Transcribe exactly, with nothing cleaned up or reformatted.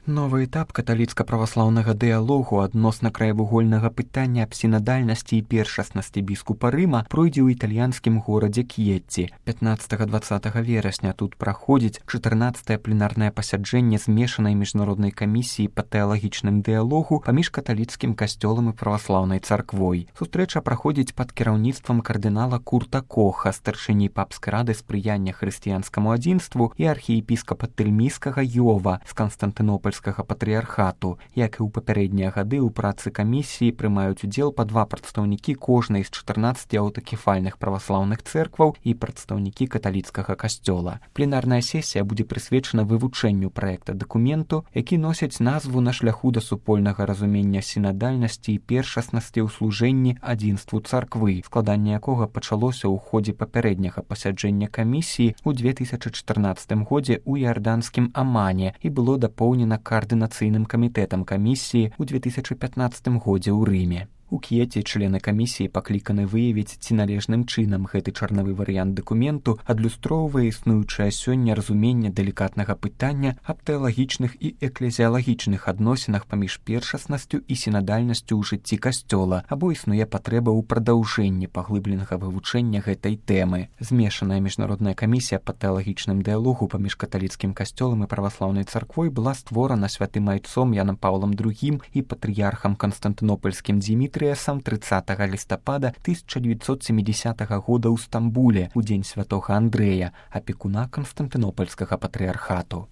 Новы этап каталіцка-праваслаўнага дыялогу адносна краевугольнага пытання аб сінадальнасці і першаснасці біскупа Рыма пройдзе ў італьянскім горадзе К'етці. пятнаццатага-дваццатага верасня тут праходзіць чатырнаццатае пленарнае пасяджэнне змешанай міжнароднай камісіі па тэалагічным дыялогу паміж каталіцкім касцёлам і праваслаўнай царквой. Сустрэча праходзіць пад кіраўніцтвам кардынала Курта Коха, старшыні папскай рады спрыяння хрысціянскаму адзінству і архіепіскапа Тэльміскага Йова з Канстантынопольскага патрыярхату. Як і ў папярэднія гады, у працы камісіі прымаюць удзел па два прадстаўнікі кожнай з чатырнаццаці аўтакефальных праваслаўных цэркваў і прадстаўнікі каталіцкага касцёла. Пленарная сесія будзе прысвечана вывучэнню праекта дакументу, які носіць назву «На шляху да супольнага разумення сінадальнасці і першаснасці ў служэнні адзінству царквы», складанне якога пачалося ў ходзе папярэдняга пасяджэння камісіі ў две тысячы чатырнаццатым годзе ў іарданскім Амане і было дапоўнена каардынацыйным камітэтам камісіі ў две тысячы пятнаццатым годзе ў Рыме. У К'еце члены камісіі пакліканы выявіць, ці належным чынам гэты чарнавы варыянт дакументу адлюстроўвае існуючае сёння разуменне далікатнага пытання аб тэалагічных і эклезіялагічных адносінах паміж першаснасцю і сінадальнасцю ў жыцці касцёла, або існуе патрэба ў прадаўжэнні паглыбленага вывучэння гэтай тэмы. Змешаная міжнародная камісія па тэалагічным дыялогу паміж каталіцкім касцёлам і праваслаўнай царквой была створана святым айцом Янам Паўлам другім і патрыярхам Канстантынопольскім Дзімітрыем тридцатага лістапада тысяча девятьсот семидесятого года ў Стамбуле у дзень святога Андрэя, апекуна Канстантынопольскага патрыярхату.